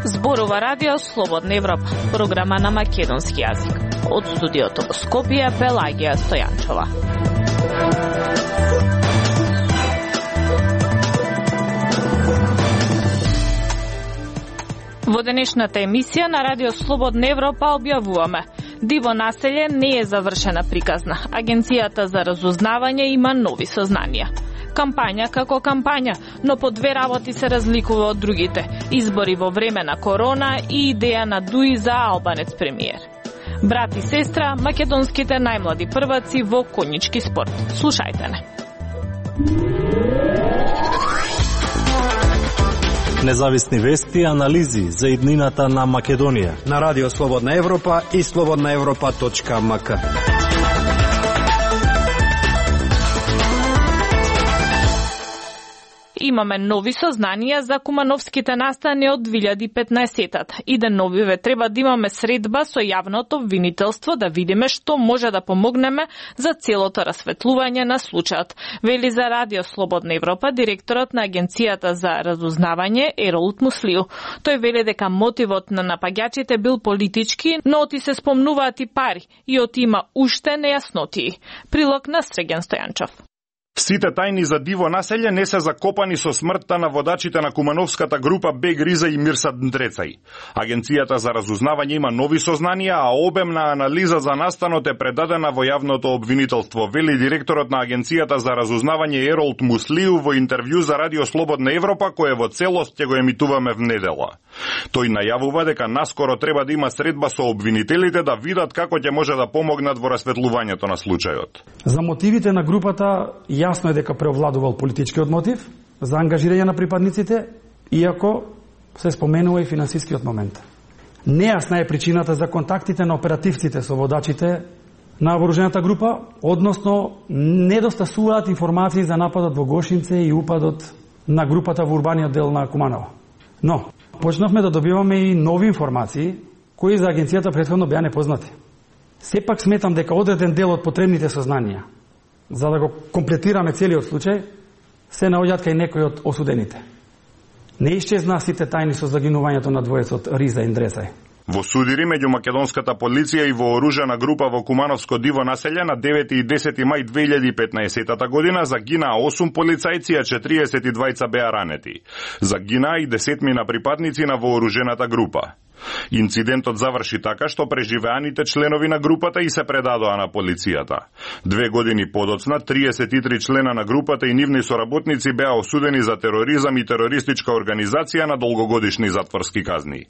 Зборува радио Слободна Европа, програма на македонски јазик. Од студиото во Скопје, Пелагија Стојанчова. Во денешната емисија на радио Слободна Европа објавуваме: диво населје не е завршена приказна. Агенцијата за разузнавање има нови сознанија. Кампања како кампања, но по две работи се разликува од другите. Избори во време на корона и идеја на Дуи за албанец премиер. Брат и сестра, македонските најмлади прваци во конјички спорт. Слушајте не. Независни вести и анализи за иднината на Македонија на радио Слободна Европа и slobodnaevropa.mk. Имаме нови сознанија за кумановските настани од 2015-тата. И деновиве треба да имаме средба со јавното обвинителство да видиме што може да помогнеме за целото расветлување на случајот. Вели за радио Слободна Европа директорот на Агенцијата за разузнавање Еролт Муслиу. Тој вели дека мотивот на напаѓачите бил политички, но оти се спомнуваат и пари и оти има уште нејаснотии. Прилог на Среген Стојанчов. Сите тајни за диво населје не се закопани со смртта на водачите на кумановската група Бег Риза и Мирсад Ндрецај. Агенцијата за разузнавање има нови сознанија, а обемна анализа за настанот е предадена во јавното обвинителство, вели директорот на Агенцијата за разузнавање Еролт Муслиу во интервју за радио Слободна Европа, кое во целост ќе го емитуваме внедела. Тој најавува дека наскоро треба да има средба со обвинителите да видат како ќе може да помогнат во расветлувањето на случајот. За мотивите на групата јасно е дека преовладувал политичкиот мотив за ангажирање на припадниците, иако се споменува и финансискиот момент. Нејасна е причината за контактите на оперативците со водачите на вооружената група, односно недостасуваат информации за нападот во Гошинце и упадот на групата во урбаниот дел на Куманово. Но почнавме да добиваме и нови информации кои за агенцијата претходно беа непознати. Сепак сметам дека одреден дел од потребните сознанија за да го комплетираме целиот случај се наоѓаат кај некои од осудените. Не исчезна сите тајни со загинувањето на двоецот Риза и Ндрецај. Во судири меѓу македонската полиција и вооружена група во Кумановско диво населје на 9 и 10 мај 2015 година загинаа 8 полицајци, а 42 беа ранети. Загинаа и 10 припадници на вооружената група. Инцидентот заврши така што преживеаните членови на групата и се предадоа на полицијата. 2 години подоцна, 33 члена на групата и нивни соработници беа осудени за тероризам и терористичка организација на долгогодишни затворски казни.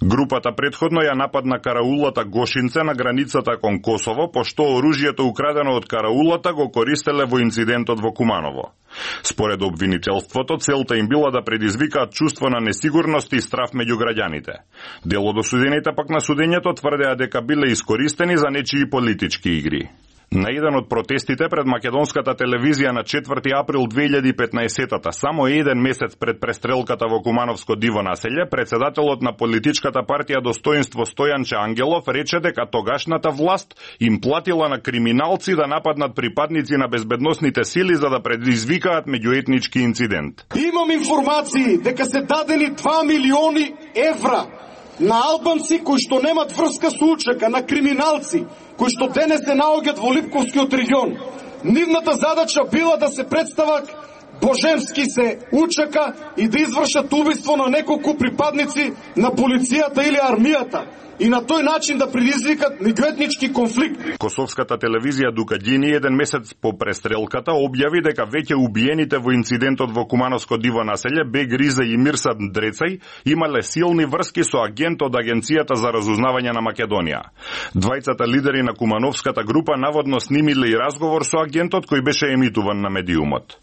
Групата претходно ја нападна караулата Гошинце на границата кон Косово, пошто оружјето украдено од караулата го користеле во инцидентот во Куманово. Според обвинителството, целта им била да предизвикаат чувство на несигурност и страф меѓу граѓаните. Дел од осудените пак на судењето тврдеа дека биле искористени за нечии политички игри. На еден од протестите пред македонската телевизија на 4 април 2015-та, само еден месец пред престрелката во Кумановско диво населје, председателот на политичката партија Достоинство Стојанче Ангелов рече дека тогашната власт им платила на криминалци да нападнат припадници на безбедносните сили за да предизвикаат меѓуетнички инцидент. Имам информации дека се дадени 2 милиони евра на албанци кои што немат врска со УЧК, на криминалци кои што денес се наоѓаат во Липковскиот регион. Нивната задача била да се представат божемски се УЧК и да извршат убиство на неколку припадници на полицијата или армијата и на тој начин да предизвикат меѓуетнички конфликт. Косовската телевизија Дукаѓини еден месец по престрелката објави дека веќе убиените во инцидентот во Кумановско диво населје Бег Риза и Мирсад Ндрецај имале силни врски со агент од Агенцијата за разузнавање на Македонија. Двајцата лидери на Кумановската група наводно снимиле и разговор со агентот кој беше емитуван на медиумот.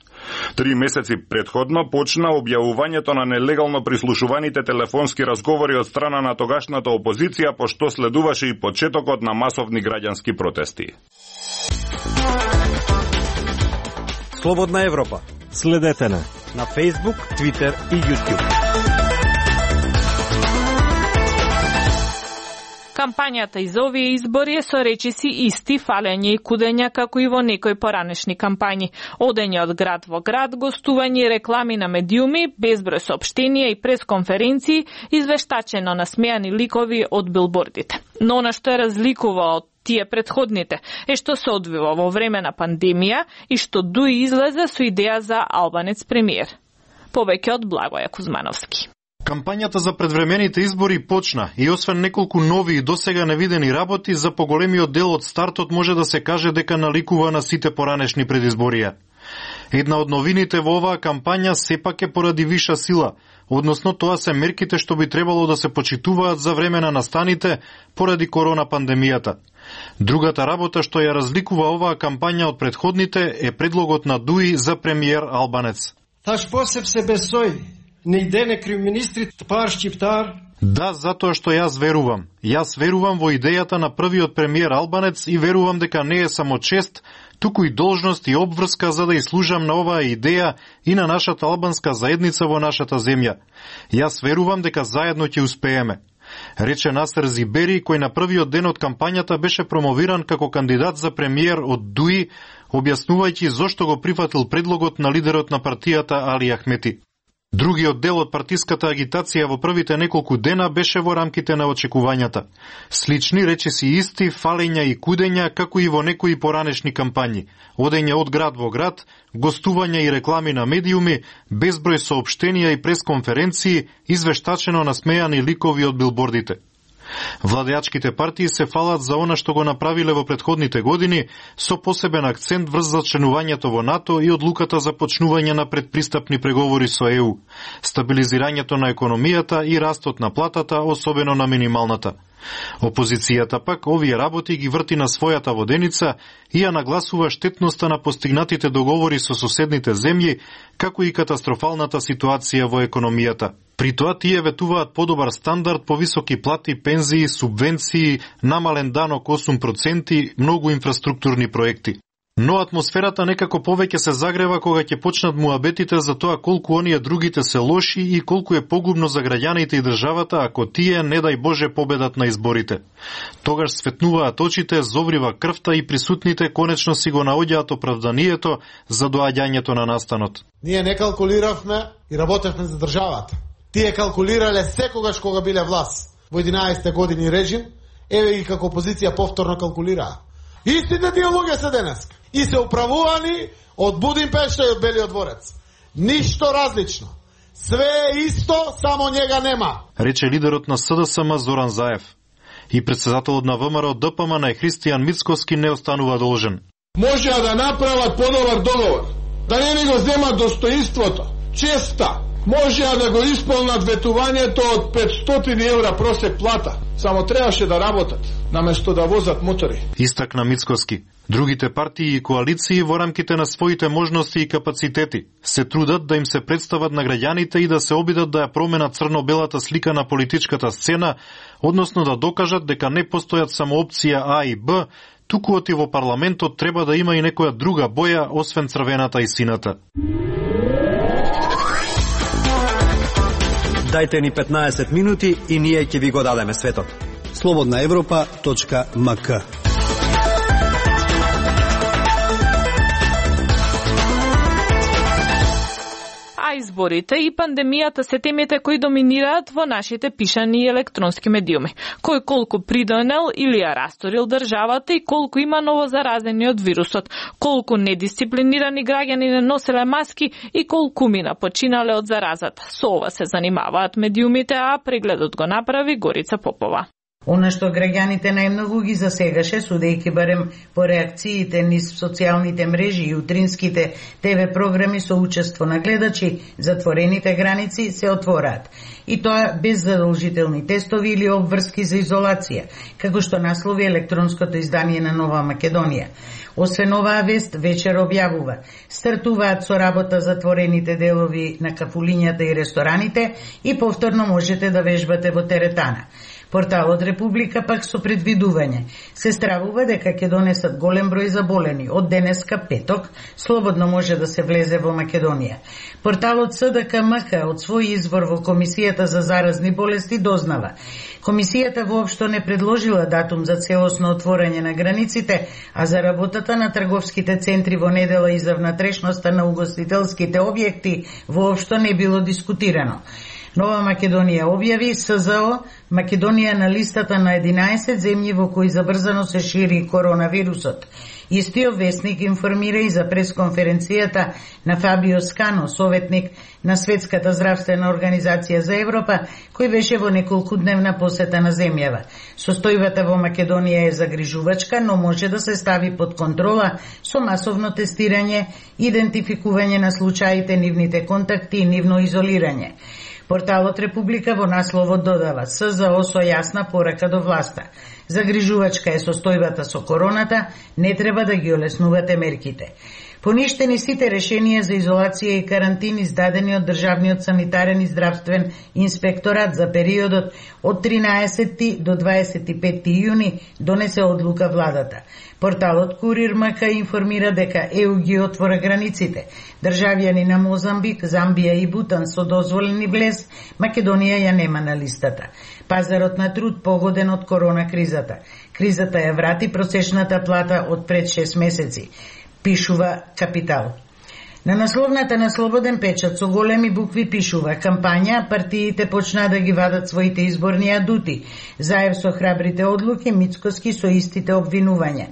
3 месеци предходно почна објавувањето на нелегално прислушуваните телефонски разговори од страна на тогашната опозиција, пошто следуваше и почетокот на масовни граѓански протести. Слободна Европа. Следете на Facebook, Twitter и YouTube. Кампањата и за овие избори е со речиси исти, фалење и кудења како и во некои поранешни кампањи. Одење од град во град, гостување и реклами на медиуми, безброј соопштенија и пресконференции, извештачено насмеани ликови од билбордите. Но она што е разликува од тие предходните е што се одвива во време на пандемија и што Дуи излезе со идеја за албанец премиер. Повеќе од Благоја Кузмановски. Кампањата за предвремените избори почна и освен неколку нови и досега невидени работи, за поголемиот дел од стартот може да се каже дека наликува на сите поранешни предизборија. Една од новините во оваа кампања сепак е поради виша сила, односно тоа се мерките што би требало да се почитуваат за време на настаните поради корона пандемијата. Другата работа што ја разликува оваа кампања од предходните е предлогот на Дуи за премиер албанец. Таш посеб се бесој. Не иде не крив министрит пар шчиптар. Да, затоа што јас верувам. Јас верувам во идејата на првиот премиер албанец и верувам дека не е само чест, туку и должност и обврска за да служам на оваа идеја и на нашата албанска заедница во нашата земја. Јас верувам дека заедно ќе успееме, рече Насер Зибери, кој на првиот ден од кампањата беше промовиран како кандидат за премиер од Дуи, објаснувајќи зошто го прифатил предлогот на лидерот на партијата Али Ахмети. Другиот дел од партиската агитација во првите неколку дена беше во рамките на очекувањата. Слични речиси исти, фалења и кудења, како и во некои поранешни кампањи. Одење од град во град, гостувања и реклами на медиуми, безброј соопштенија и пресконференции, извештачено насмеани ликови од билбордите. Владеачките партии се фалат за она што го направиле во предходните години, со посебен акцент врз зачленувањето во НАТО и одлуката за почнување на предпристапни преговори со ЕУ, стабилизирањето на економијата и растот на платата, особено на минималната. Опозицијата пак овие работи ги врти на својата воденица и ја нагласува штетноста на постигнатите договори со соседните земји, како и катастрофалната ситуација во економијата. При тоа тие ветуваат подобар стандард, повисоки плати, пензии, субвенции, намален данок 8%, многу инфраструктурни проекти. Но атмосферата некако повеќе се загрева кога ќе почнат муабетите за тоа колку оние другите се лоши и колку е погубно за граѓаните и државата ако тие, не дај Боже, победат на изборите. Тогаш светнуваат очите, зоврива крвта и присутните конечно си го наоѓаат оправданието за доаѓањето на настанот. Ние не калкулиравме и работевме за државата. Тие калкулирале секогаш кога биле власт во 11 години режим, еве ги како опозиција повторно калкулираа. Истите тие луѓе се денес и се управувани од Будимпешта и од Белиот дворец. Ништо различно. Све е исто, само njega нема, рече лидерот на СДСМ Зоран Заев. И председателот на ВМРО ДПМН Христијан Мицкоски не останува должен. Можеа да направат подобар договор, да не ни го земат достоинството, честа, можеа да го исполнат ветувањето од 500 евра просек плата. Само требаше да работат, наместо да возат мотори. Истакна Мицкоски. Другите партии и коалиции во рамките на своите можности и капацитети се трудат да им се представат на граѓаните и да се обидат да ја променат црно-белата слика на политичката сцена, односно да докажат дека не постојат само опција А и Б, туку оти во парламентот треба да има и некоја друга боја, освен црвената и сината. Дајте ни 15 минути и ние ќе ви го дадеме светот. slobodnaevropa.mk. Изборите и пандемијата се темите кои доминираат во нашите пишани и електронски медиуми. Кој колку придонел или ја расторил државата и колку има новозаразени од вирусот, колку недисциплинирани граѓани не носеле маски и колку мина починале од заразата. Со ова се занимаваат медиумите, а прегледот го направи Горица Попова. Она што граѓаните најмногу ги засегаше, судејќи барем по реакциите низ социјалните мрежи и утринските ТВ програми со учество на гледачи, затворените граници се отвораат. И тоа без задолжителни тестови или обврски за изолација, како што наслови електронското издание на Нова Македонија. Освен оваа вест, вечер објавува: стартуваат со работа затворените делови на кафулињата и рестораните и повторно можете да вежбате во теретана. Порталот Република пак со предвидување се стравува дека ќе донесат голем број заболени. Од денеска петок слободно може да се влезе во Македонија. Порталот СДКМК од свој извор во Комисијата за заразни болести дознава. Комисијата воопшто не предложила датум за целосно отворање на границите, а за работата на трговските центри во недела и за внатрешноста на угостителските објекти воопшто не било дискутирано. Нова Македонија објави СЗО Македонија на листата на 11 земји во кои забрзано се шири коронавирусот. Истиот весник информира и за пресконференцијата на Фабио Скано, советник на Светската здравствена организација за Европа, кој беше во неколкудневна посета на земјава. Состојбата во Македонија е загрижувачка, но може да се стави под контрола со масовно тестирање, идентификување на случаите, нивните контакти и нивно изолирање. Порталот Република во насловот додава СЗО со јасна порака до власта. Загрижувачка е состојбата со короната, не треба да ги олеснувате мерките. Поништени сите решенија за изолација и карантин издадени од Државниот санитарен и здравствен инспекторат за периодот од 13 до 25 јуни донесе одлука владата. Порталот Курир МК информира дека ЕУ ги отвора границите. Државјани на Мозамбик, Замбија и Бутан со дозволени влез, Македонија ја нема на листата. Пазарот на труд погоден од корона кризата. Кризата ја врати просечната плата од пред 6 месеци, пишува Капитал. На насловната на Слободен печат со големи букви пишува: кампања, партиите почнаа да ги вадат своите изборни адути. Заев со храбрите одлуки, Мицкоски со истите обвинувања.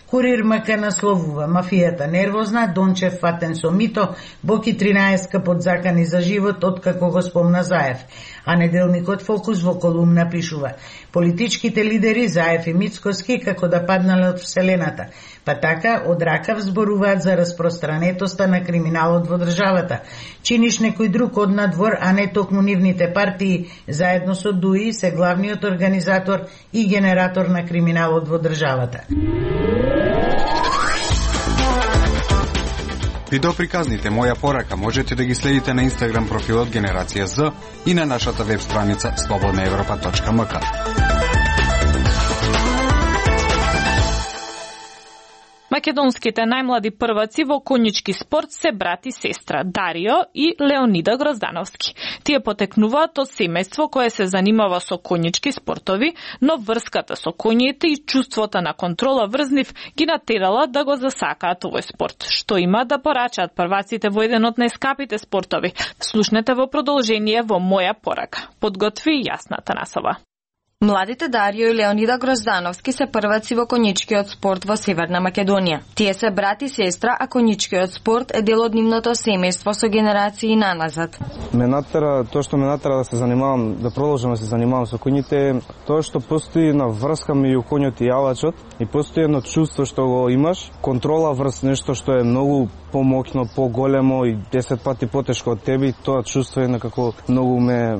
Курир МК насловува: мафијата нервозна, Дончев фатен со мито, Боки 13 под закани за живот откако го спомна Заев. А неделникот Фокус во колумна пишува: политичките лидери Заев и Мицкоски како да паднале од вселената. Па така од ракав зборуваат за распространетоста на криминалот во државата. Чиниш некој друг од надвор, а не токму нивните партии, заедно со ДУИ се главниот организатор и генератор на криминалот во државата. Видеоприказните Моја порака можете да ги следите на Инстаграм профилот Генерација З и на нашата веб страница slobodnaevropa.mk. Македонските најмлади прваци во конјички спорт се брат и сестра Дарио и Леонида Гроздановски. Тие потекнуваат од семејство кое се занимава со конјички спортови, но врската со коњите и чувството на контрола врз нив ги натерала да го засакаат овој спорт, што има да порачаат прваците во еден од најскапите спортови. Слушнете во продолжение во Моја порака. Подготви Јасна Танасова. Младите Дарио и Леонида Гроздановски се прваци во конјичкиот спорт во Северна Македонија. Тие се брат и сестра, а конјичкиот спорт е дел од нивното семејство со генерации наназад. Тоа што ме натера да се занимавам, да продолжам да се занимавам со коњите, тоа што постои на врска меѓу коњот и јавачот и постои едно чувство што го имаш, контрола врз нешто што е многу помоќно, поголемо и 10 пати потешко од тебе, и тоа чувство е некако многу ме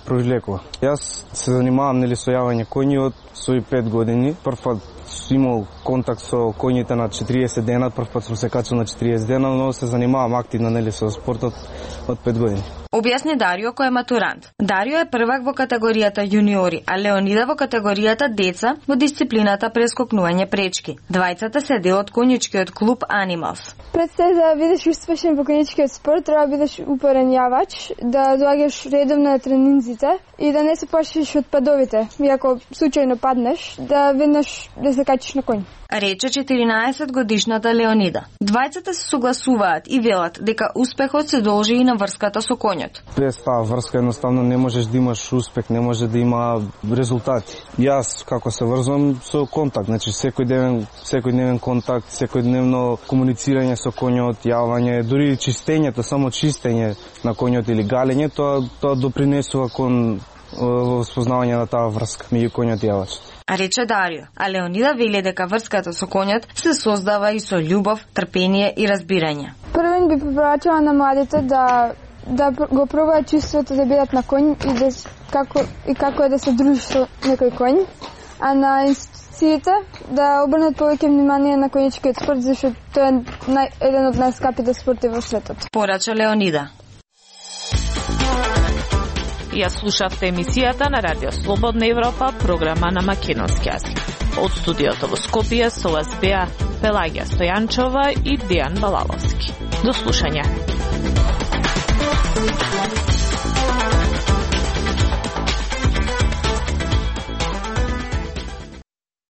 привлекува. Јас се занимавам со јавање коњи од своји 5 години. Првпат сум имал контакт со коњите на 40 дена, првпат сум се качил на 40 дена, но се занимавам активно со спортот од 5 години. Објасни Дарио кој е матурант. Дарио е првак во категоријата јуниори, а Леонида во категоријата деца во дисциплината прескокнување пречки. Двајцата се дел од конјичкиот клуб Animals. Пред се да бидеш успешен во конјичкиот спорт, треба да бидеш упорен јавач, да доаѓаш редовно на тренинзите и да не се плашиш од падовите. И ако случајно паднеш, да веднаш да се качиш на коњ. Рече 14-годишната Леонида. Двајцата се согласуваат и велат дека успехот се должи и на врската со коњот. Без таа врска едноставно не можеш да имаш успех, не може да има резултати. Јас како се врзвам со контакт, значи секојдневен контакт, секојдневно комуницирање со коњот, јавање, дури чистењето, само чистење на коњот или галење, тоа допринесува кон спознавање на таа врска меѓу коњот и јавачот. Рече Дарио, а Леонида вели дека врската со коњот се создава и со љубов, трпение и разбирање. Првен би препорачала на младите да го пробаат чувството да бидат на коњ и како е да се дружиш со некој коњ, а на институциите да обрнат повеќе внимание на конјичкиот спорт, зашто тоа е еден од најскапите спорти во светот. Порача Леонида. Ја слушавте емисијата на Радио Слободна Европа, програма на македонски јазик. Од студиото во Скопје со вас беа Пелагија Стојанчова и Дејан Балаловски. До слушање.